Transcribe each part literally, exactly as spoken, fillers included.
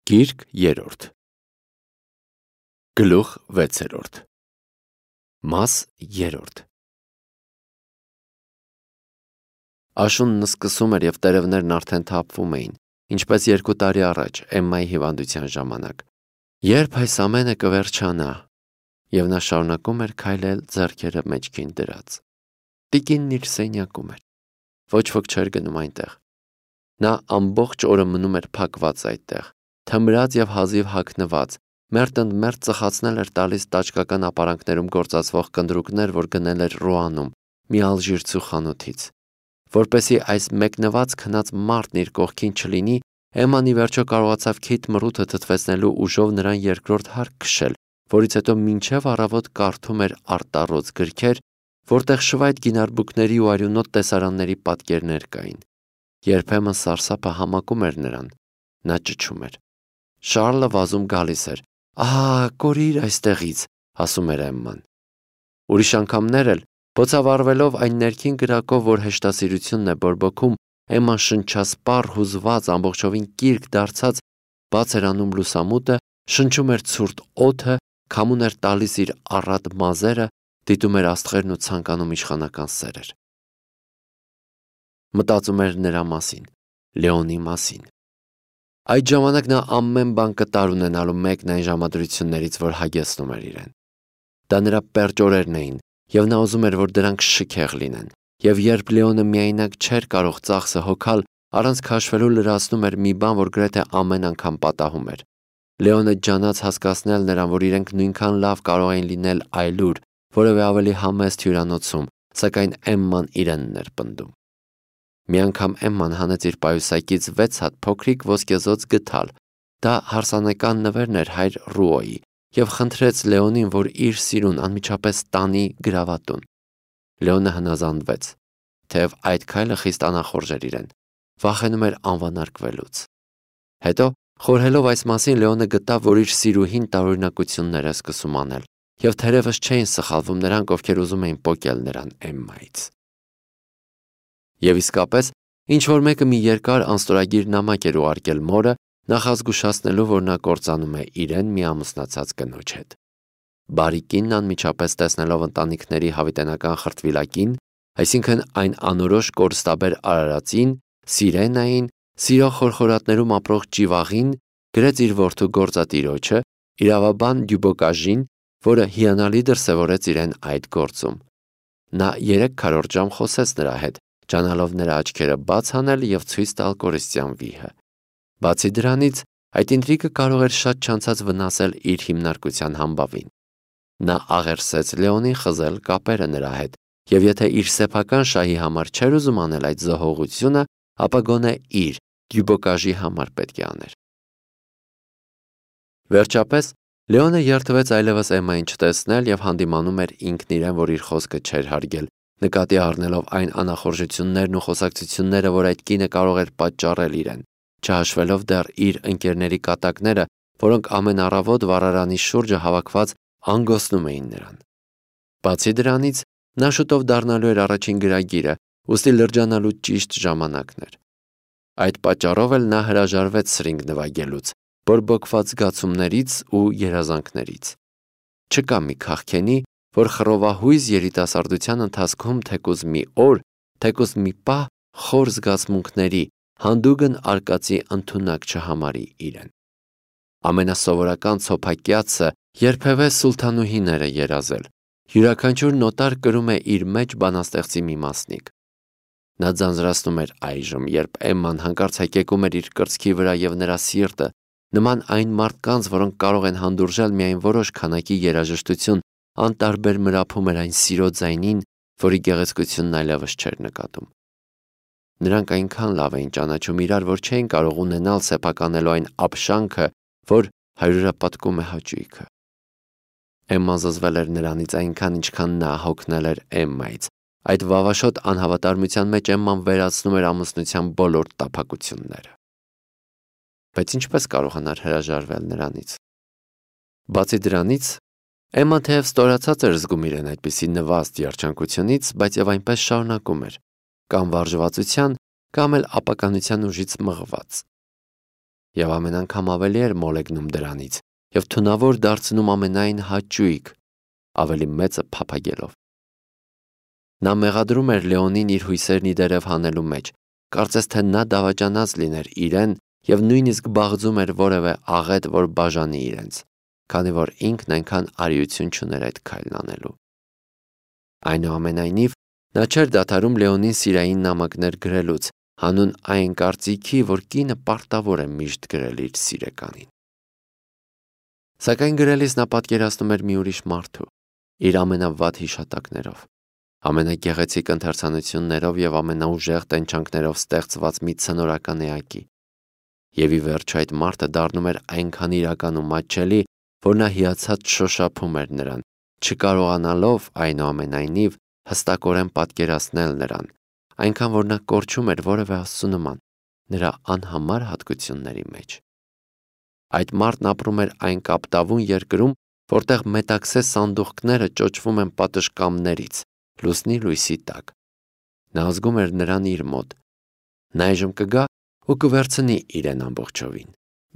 Գիրք երրորդ Գլուխ վեցերորդ Մաս երրորդ Աշունն սկսում էր և տերևներն արդեն թափվում էին, ինչպես երկու տարի առաջ Էմմայի հիվանդության ժամանակ, երբ այս ամենը կվերջանա, և նա շարունակում էր քայլել ձեռքերը մեջքին դրած։ Տիկինն իր սենյակում էր, ոչ ոք չէր գնում այնտեղ։ Նա ամբողջ օրը մնում էր փակված այդտեղ, թմրած և հազիվ հագնված, մերթընդմերթ ծխացնել էր տալիս տաճկական ապարանքներում գործածվող կնդրուկներ, որ գնել էր Ռուանում, մի ալժիրցու խանութից։ Որպեսզի այս մեկնված քնած մարդն իր կողքին չլինի, Էմման ի վերջո կարողացավ քիթ մռութը թթվեցնելու ուժով նրան երկրորդ հարկ քշել, որից հետո մինչև առավոտ կարդում էր արտառոց գրքեր, որտեղ շվայտ գինարբուկների ու արյունոտ տեսարանների պատկերներ կային։ Երբեմն սարսափը համակում էր նրան, նա ճչում էր։ Շառլը վազում գալիս էր։ «Ահա, կորիր այստեղից», ասում էր Էմման։ Ուրիշ անգամներ էլ, բոցավառվելով այն ներքին կրակով, որ հեշտասիրությունն է բորբոքում, Էմման շնչասպառ, հուզված, ամբողջովին կիրք դարձած, բաց էր անում լուսամուտը, շնչում էր ցուրտ օդը, քամուն էր տալիս իր առատ մազերը, դիտում էր աստղերն ու ցանկանում իշխանական սերեր։ Մտածում էր նրա մասին, Լեոնի մասին։ Այդ ժամանակ նա ամեն բան կտար ունենալու մեկն այն ժամադրություններից, որ հագեցնում էր իրեն։ Դա նրա պերճ օրերն էին, և նա ուզում էր, որ դրանք շքեղ լինեն, և երբ Լեոնը միայնակ չէր կարող ծախսը հոգալ, առանց քաշվելու լրացնում էր մի բան, որ գրեթե ամեն անգամ պատահում էր։ Լեոնը ջանաց հասկացնել նրան, որ իրենք նույնքան լավ կարող էին լինել այլուր, որևէ ավելի համեստ հյուրանոցում, սակայն Էմման իրենն էր պնդում։ Մի անգամ Էմման հանեց իր պայուսակից վեց հատ փոքրիկ ոսկեզօծ գդալ, դա հարսանեկան նվերն էր հայր Ռուոյի, և խնդրեց Լեոնին, որ իր սիրուն անմիջապես տանի գրավատուն։ Լեոնը հնազանդվեց, թեև այդ քայլը խիստ անախորժ էր իրեն, վախենում էր անվանարկվելուց։ Հետո, խորհելով այս մասին, Լեոնը գտավ, որ իր սիրուհին տարօրինակություններ է սկսում անել, և թերևս չէին սխալվում նրանք, ովքեր ուզում էին պոկել նրան Էմմայից։ Եվ իսկապես, ինչ-որ մեկը մի երկար անստորագիր նամակ էր ուղարկել մորը, նախազգուշացնելու, որ նա կործանում է իրեն մի ամուսնացած կնոջ հետ։ Բարի կինն անմիջապես տեսնելով ընտանիքների հավիտենական խրտվիլակին, այսինքն այն անորոշ կորստաբեր արարածին, Սիրենային, սիրո խորխորատներում ապրող ճիվաղին, գրեց իր որդու գործատիրոջը, իրավաբան Դյուբոկաժին, որը հիանալի դրսևորեց իրեն այդ գործում։ Նա երեք քառորդ ժամ խոսեց նրա հետ, ջանալով նրա աչքերը բաց անել և ցույց տալ կորստյան վիհը։ Բացի դրանից, այդ ինտրիգը կարող էր շատ չանցած վնասել իր հիմնարկության համբավին։ Նա աղերսեց Լեոնին խզել կապերը նրա հետ, և եթե իր սեփական շահի համար չէր ուզում անել այդ զոհողությունը, ապա գոնե իր Դյուբոկաժի համար պետք է աներ։ Վերջապես, Լեոնը երդվեց այլևս Էմմային չտեսնել և հանդիմանում էր ինքն իրեն, որ իր խոսքը չէր հարգել, նկատի առնելով այն անախորժություններն ու խոսակցությունները, որ այդ կինը կարող էր պատճառել իրեն, չհաշվելով դեռ իր ընկերների կատակները, որոնք ամեն առավոտ վառարանի շուրջը հավաքված անգոսնում էին նրան։ Բացի դրանից, նա շուտով դառնալու էր առաջին գրագիրը, ուստի լրջանալու ճիշտ ժամանակն էր։ Այդ պատճառով էլ նա հրաժարվեց սրինգ նվագելուց, բորբոքված զգացումներից ու երազանքներից։ Չկա մի քաղքենի, որ խռովահույզ երիտասարդության ընթացքում թեկուզ մի օր, թեկուզ մի պահ խոր զգացմունքների, հանդուգն արկածի ընդունակ չհամարի իրեն։ Ամենասովորական ցոփակյացը երբևէ սուլթանուհիներ է երազել, յուրաքանչյուր նոտար կրում է իր մեջ բանաստեղծի մի մասնիկ։ Նա ձանձրացնում էր այժմ, երբ Էմման հանկարծ հեկեկում էր իր կրծքի վրա և նրա սիրտը, նման այն մարդկանց, որոնք կարող են հանդուրժել միայն որոշ քանակի երաժշտություն, անտարբեր մրափում էր այն սիրո ձայնին, որի գեղեցկությունն այլևս չէր նկատում։ Նրանք այնքան լավ էին ճանաչում իրար, որ չէին կարող ունենալ սեփականելու այն ապշանքը, որ հարյուրապատկում է հաճույքը։ Էմման զզվել էր նրանից այնքան, ինչքան նա հոգնել էր Էմմայից։ Այդ վավաշոտ անհավատարմության մեջ Էմման վերացնում էր ամուսնության բոլոր տափակությունները։ Բայց ինչպես կարողանար հրաժարվել նրանից։ Բացի դրանից, Էմման թեև ստորացած էր զգում իրեն այդպիսի նվաստ երջանկությունից, բայց և այնպես շարունակում էր, կամ վարժվածության, կամ էլ ապականության ուժից մղված։ եւ ամեն անգամ ավելի էր մոլեգնում դրանից եւ թունավոր դարձնում ամենայն հաճույք, ավելի մեծը փափագելով։ Նա մեղադրում էր Լեոնին իր հույսերն իդերև հանելու մեջ, կարծես թե նա դավաճանած լիներ իրեն եւ նույնիսկ բաղձում էր որևէ աղետ, որ բաժանի իրենց, քանի որ ինքն այնքան արիություն չուներ այդ քայլն անելու։ Այնուամենայնիվ, նա չէր դադարում Լեոնին սիրային նամակներ գրելուց, հանուն այն կարծիքի, որ կինը պարտավոր է միշտ գրել իր սիրեկանին։ Սակայն գրելիս նա պատկերացնում էր մի ուրիշ մարդու, իր ամենավատ հիշատակներով, ամենագեղեցիկ ընթերցանություններով եւ ամենաուժեղ տենչանքներով ստեղծված մի ցնորական էակի։ Եվ ի վերջո այդ մարդը դառնում էր այնքան իրական ու մատչելի, որ նա հիացած շոշափում էր նրան, չկարողանալով այնուամենայնիվ հստակորեն պատկերացնել նրան, այնքան որ նա կորչում էր որևէ աստծու նման, նրա անհամար հատկությունների մեջ։ Այդ մարդն ապրում էր այն կապտավուն երկրում, որտեղ մետաքսե սանդուղքները ճոճվում են պատշգամբներից, լուսնի լույսի տակ։ Նա զգում էր նրան իր մոտ։ Նա այժմ կգա ու կվերցնի իրեն ամբողջովին,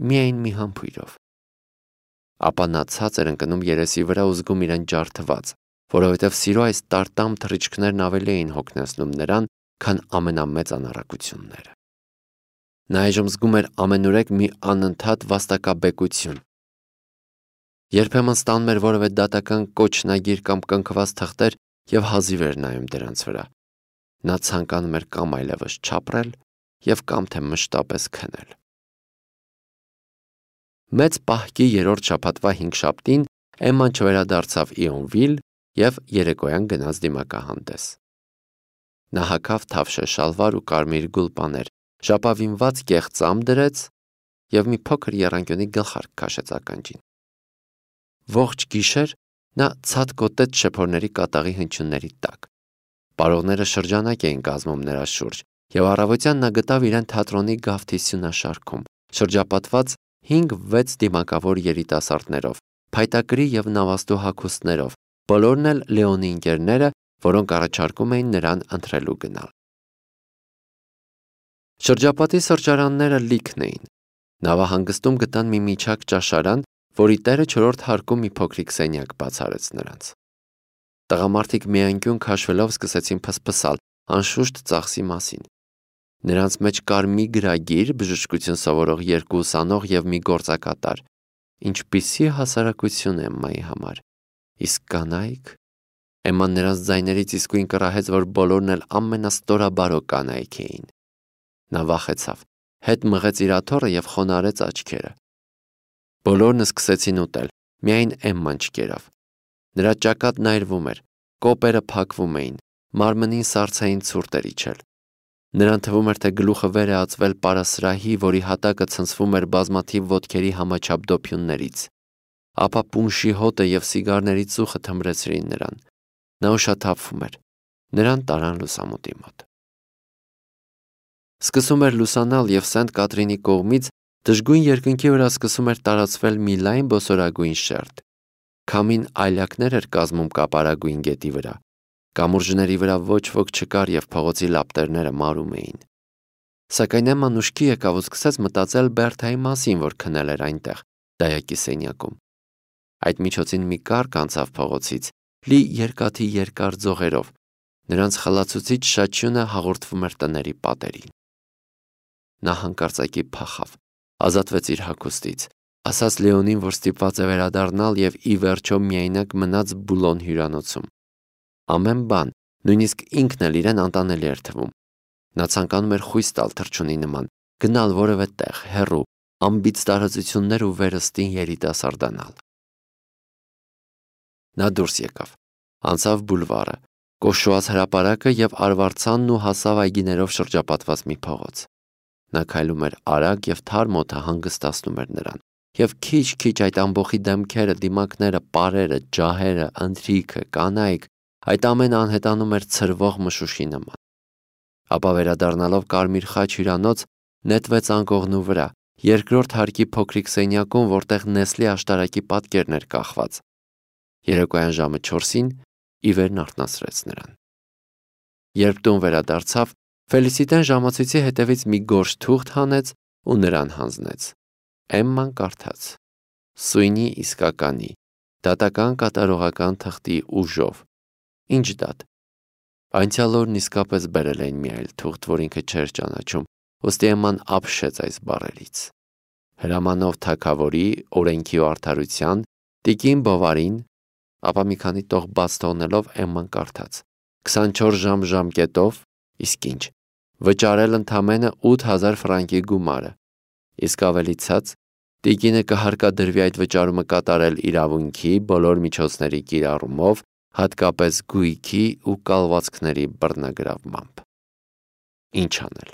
միայն մի համբույրով։ Ապա նա ցած էր ընկնում երեսի վրա ու զգում իրեն ջարդված, որովհետև սիրո այս տարտամ թռիչքներն ավելի էին հոգնեցնում նրան, քան ամենամեծ անառակությունները։ Նա այժմ զգում էր ամենուրեք մի անընդհատ վաստակաբեկություն։ Երբեմն ստանում էր որևէ դատական կոչնագիր կամ կնքված թղթեր եւ հազիվ էր նայում դրանց վրա։ Նա ցանկանում էր կամ այլևս չապրել եւ կամ թե մշտապես քնել։ Մեծ պահքի երրորդ շաբաթվա հինգշաբթին Էմման չվերադարձավ Իոնվիլ եւ երեկոյան գնաց դիմակահանդես։ Նա հագավ թավշե շալվար ու կարմիր գուլպաներ, շապավինված կեղծամ դրեց եւ մի փոքր եռանկյունի գլխարկ քաշեց ականջին։ Ողջ գիշեր նա ցած կոտեց շեփորների կատաղի հնչյունների տակ։ Պարողները շրջանակ էին կազմում նրա շուրջ, եւ առավոտյան նա գտավ իրեն թատրոնի գավթի սյունաշարքում, շրջապատված հինգ-վեց դիմակավոր երիտասարդներով, փայտակրի եւ նավաստու հագուստներով, բոլորն էլ Լեոնի ընկերները, որոնք առաջարկում էին նրան ընտրելու գնալ։ Շրջապատի սրճարանները լիքն էին։ Նավահանգստում գտան մի միջակ ճաշարան, որի տերը չորրորդ հարկում մի փոքրիկ սենյակ բացարեց նրանց։ Տղամարդիկ միայնքյուն քաշվելով սկսեցին փսփսալ, անշուշտ ծախսի մասին։ Նրանց մեջ կար մի գրագիր, բժշկություն սովորող երկու ուսանող եւ մի գործակատար։ Ինչպիսի հասարակություն Էմմայի համար։ Իսկ կանայք։ Էմման նրանց ձայներից իսկույն կռահեց, որ բոլորն էլ ամենաստորաբարո կանայք էին։ Նա վախեցավ, հետ մղեց իր աթոռը եւ խոնարհեց աչքերը։ Բոլորն սկսեցին ուտել, միայն Էմման չկերավ։ Նրա ճակատն այրվում էր, կոպերը փակվում էին, մարմնին սառցային ցուրտ էր իջել։ Նրան թվում էր, թե գլուխը վեր է ածվել պարասրահի, որի հատակը ցնցվում էր բազմաթիվ ոտքերի համաչափ դոփյուններից։ Ապա պունշի հոտը եւ սիգարների ծուխը թմրեցրին նրան։ Նա ուշաթափվում էր։ Նրան տարան լուսամուտի մոտ։ Սկսում էր լուսանալ եւ Սենտ Կատրինի կողմից դժգույն երկնքի վրա սկսում էր տարածվել մի լայն բոսորագույն շերտ։ Քամին այլակներ էր կազմում կապարագույն գետի վրա։ Կամուրջների վրա ոչ ոք չկար եւ փողոցի լապտերները մարում էին։ Սակայն Էմման ուշքի եկավ ու սկսեց մտածել Բերթայի մասին, որ քնել էր այնտեղ, դայակի սենյակում։ Այդ միջոցին մի կառք անցավ փողոցից, լի երկաթի երկար ձողերով։ Նրանց խլացուցիչ շաչյունը հաղորդվում էր տների պատերին։ Նա հանկարծակի փախավ, ազատվեց իր հագուստից, ասաց Լեոնին, որ ստիպված է վերադառնալ եւ ի վերջո միայնակ մնաց Բուլոն հյուրանոցում։ Ամեն բան, նույնիսկ ինքն էլ իրեն անտանելի էր թվում։ Նա ցանկանում էր խույս տալ թռչունի նման, գնալ որևէ տեղ, հեռու, անբիծ տարածություններ ու վերստին երիտասարդանալ։ Նա դուրս եկավ, անցավ բուլվարը, կոշուած հրապարակը եւ արվարձանն ու հասավ այգիներով շրջապատված մի փողոց։ Նա քայլում էր արագ եւ թարմ օդը հանգստացնում էր նրան, եւ քիչ-քիչ այդ ամբողջի դեմքերը, դիմակները, պարերը, ջահերը, ընթրիքը, կանայք, այդ ամենը անհետանում էր ցրվող մշուշի նման։ Ապա վերադառնալով Կարմիր խաչ հյուրանոց, նետվեց անկողնու վրա, երկրորդ հարկի փոքրիկ սենյակում, որտեղ Նեսլի աշտարակի պատկերն էր կախված։ Երեկոյան ժամը չորսին ի վերն արթնացրեց նրան։ Երբ տուն վերադարձավ, Ֆելիսիտեն ժամացույցի հետևից մի գորշ թուղթ հանեց ու նրան հանձնեց։ Էմման կարդաց. Սույնի իսկականի, դատական կատարողական թղթի ուժով։ Ինչ դատ։ Անցյալ օրն իսկապես բերել էին մի այլ թուղթ, որ ինքը չէր ճանաչում, ուստի Էմման ապշեց այս բառերից։ Հրամանով թագավորի, օրենքի ու արդարության, տիկին Բովարին, ապա մի քանի տող բաց թողնելով Էմման կարդաց. քսանչորս ժամ ժամկետով, իսկ ինչ, վճարել ընդամենը ութ հազար ֆրանկի գումարը, իսկ ավելի ցած, տիկինը կհարկադրվի այդ վճարումը կատարել իրավունքի բոլոր միջոցների կիրառումով, հատկապես գույքի ու կալվածքների բռնագրավմամբ։ Ինչ անել։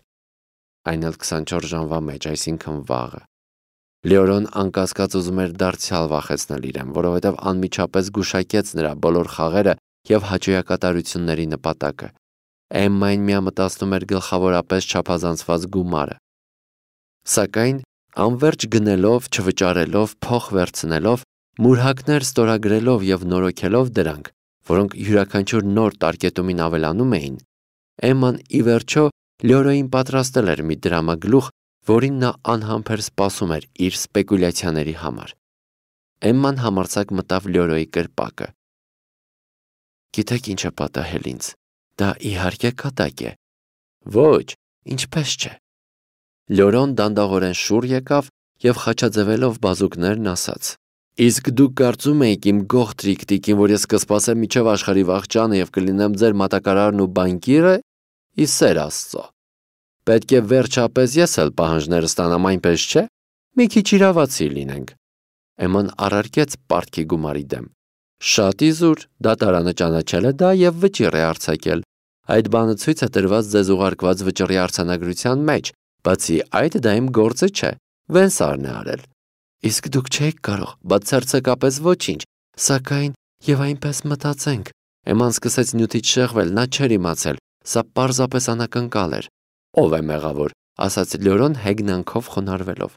Այն էլ քսանչորս ժամվա մեջ, այսինքն վաղը։ Լեորոն անկասկած ուզում էր դարձյալ վախեցնել իրեն, որովհետև անմիջապես գուշակեց նրա բոլոր խաղերը և հաճոյակատարությունների նպատակը։ Էմմային միամտածնում էր գլխավորապես չափազանցված գումարը։ Սակայն անվերջ գնելով, չվճարելով, փող վերցնելով, մուրհակներ ստորագրելով և նորոգելով դրանք, որոնք յուրաքանչյուր նոր տարկետումին ավելանում էին, Էմման ի վերջո Լեորոյին պատրաստել էր մի դրամագլուխ, որին նա անհամբեր սպասում էր իր սպեկուլյացիաների համար։ Էմման համարձակ մտավ Լեորոյի կրպակը։ Գիտեք ինչ է պատահել ինձ։ Դա իհարկե կատակ է։ Ոչ, ինչպես չէ։ Լեորոն դանդաղորեն շուռ եկավ և խաչաձևելով բազուկներն ասաց. Իսկ դուք կարծում եք իմ գողտրիկ տիկին, որ ես կսպասեմ մինչև աշխարհի վախճանը և կլինեմ ձեր մատակարարն ու բանկիրը, ի սեր Աստծո։ Պետք է վերջապես ես էլ պահանջները ստանամ, այնպես չէ։ Մի քիչ իրավացի լինենք։ Էմման առարկեց պարտքի գումարի դեմ։ Շատ իզուր, դատարանը ճանաչել է դա և վճիռ է արձակել։ Այդ բանը ցույց է տրված ձեզ ուղարկված վճռի արձանագրության մեջ, բացի այդ դա իմ գործը չէ, Վենսարն է արել։ Իսկ դուք չեք կարող, բացարձակապես ոչինչ, սակայն եւ այնպես մտածենք։ Էմման սկսեց նյութից շեղվել, նա չէր իմացել, սա պարզապես անակնկալ էր։ Ով է մեղավոր, ասաց Լեորոն հեգնանքով խոնարհվելով։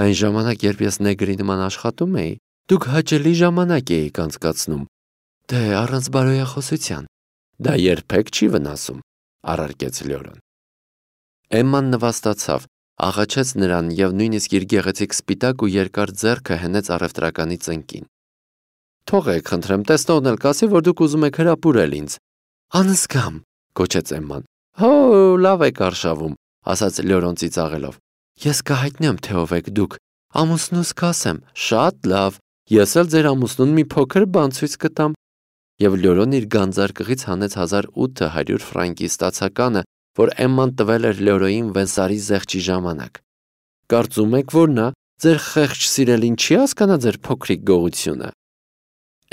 Այն ժամանակ, երբ ես նեգրի նման աշխատում էի, դուք հաճելի ժամանակ էիք անցկացնում։ Դե առանց բարոյախոսության։ Դա երբեք չի վնասում, առարկեց Լեորոն։ Էմման նվաստացավ, աղաչեց նրան և նույնիսկ իր գեղեցիկ սպիտակ ու երկար ձեռքը հենեց առևտրականի ծնկին։ Թողեք, խնդրեմ, տեսնողն էլ կասի, որ դուք ուզում եք հրապուրել ինձ։ Անզգամ, գոչեց Էմման։ Հո, լավ եք արշավում, ասաց Լեորոն ծիծաղելով։ Ես կհայտնեմ, թե ով եք դուք։ Ամուսնուս կասեմ, շատ լավ, ես էլ ձեր ամուսնուն մի փոքր բան ցույց կտամ։ Եվ Լեորոն իր գանձարկղից հանեց հազար ութ հարյուր ֆրանկի ստացականը, որ Էմման տվել էր Լեորոյին Վենսարի զեղչի ժամանակ։ Կարծում եք, որ նա ձեր խեղճ սիրելին չի հասկանա ձեր փոքրիկ գողությունը։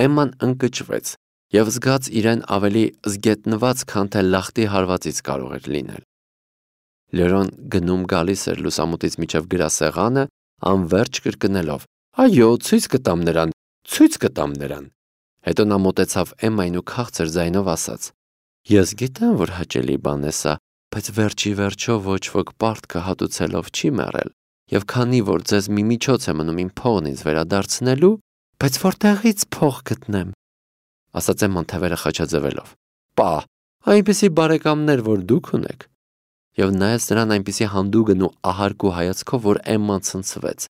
Էմման ընկճվեց և զգաց իրեն ավելի զգետնված, քան թե լախտի հարվածից կարող էր լինել։ Լեորոն գնում գալիս էր լուսամուտից միջև գրասեղանը, անվերջ կրկնելով. Այո, ցույց կտամ նրան, ցույց կտամ նրան։ Հետո նա մոտեցավ Էմմային ու քաղցր ձայնով ասաց. Ես գիտեմ, որ հաճելի բան է սա, բայց վերջի վերջո ոչ ոք պարտքը հատուցելով չի մեռել, և քանի որ ձեզ մի միջոց է մնում իմ փողն ինձ վերադարձնելու, բայց որտեղից փող գտնեմ, ասաց Էմման թևերը խաչաձևելով։ Պա, այնպիսի բարեկամներ, որ դուք ունեք։ Եվ նայեց նրան այնպիսի հանդուգն ու ահարկու հայացքով, որ Էմման ցնցվեց։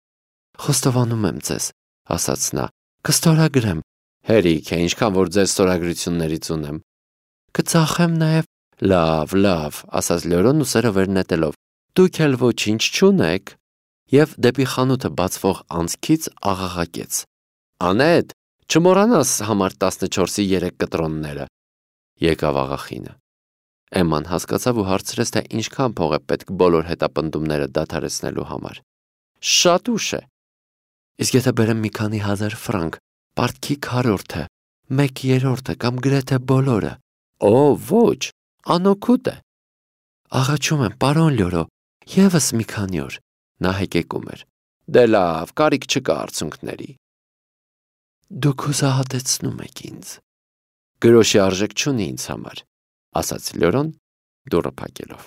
Խոստովանում եմ ձեզ, ասաց նա, կստորագրեմ։ Հերիք է, ինչքան որ ձեր ստորագրություններից ունեմ։ Կծախեմ նաև։ Լավ, լավ, ասաց Լեորոնն ուսերը վեր նետելով։ Դուք էլ ոչինչ չունեք։ Եվ դեպի խանութը բացվող անցքից աղաղակեց. Անետ, չմոռանաս համար տասնչորսի երեք կտրոնները։ Եկավ աղախինը։ Էմման հասկացավ ու հարցրեց, թե ինչքան փող է պետք բոլոր հետապնդումները դադարեցնելու համար։ Շատ ուշ է։ Իսկ եթե բերեմ մի քանի հազար ֆրանկ, պարտքի քառորդը, մեկ երրորդը կամ գրեթե բոլորը։ Օ, ոչ, անօգուտ է։ Աղաչում եմ, պարոն Լյորո, ևս մի քանի օր։ Նա հեկեկում էր։ Դե լավ, կարիք չկա արցունքների։ Դուք հուսահատեցնում եք ինձ։ Գրոշի արժեք չունի ինձ համար, ասաց Լյորոն դուռը փակելով։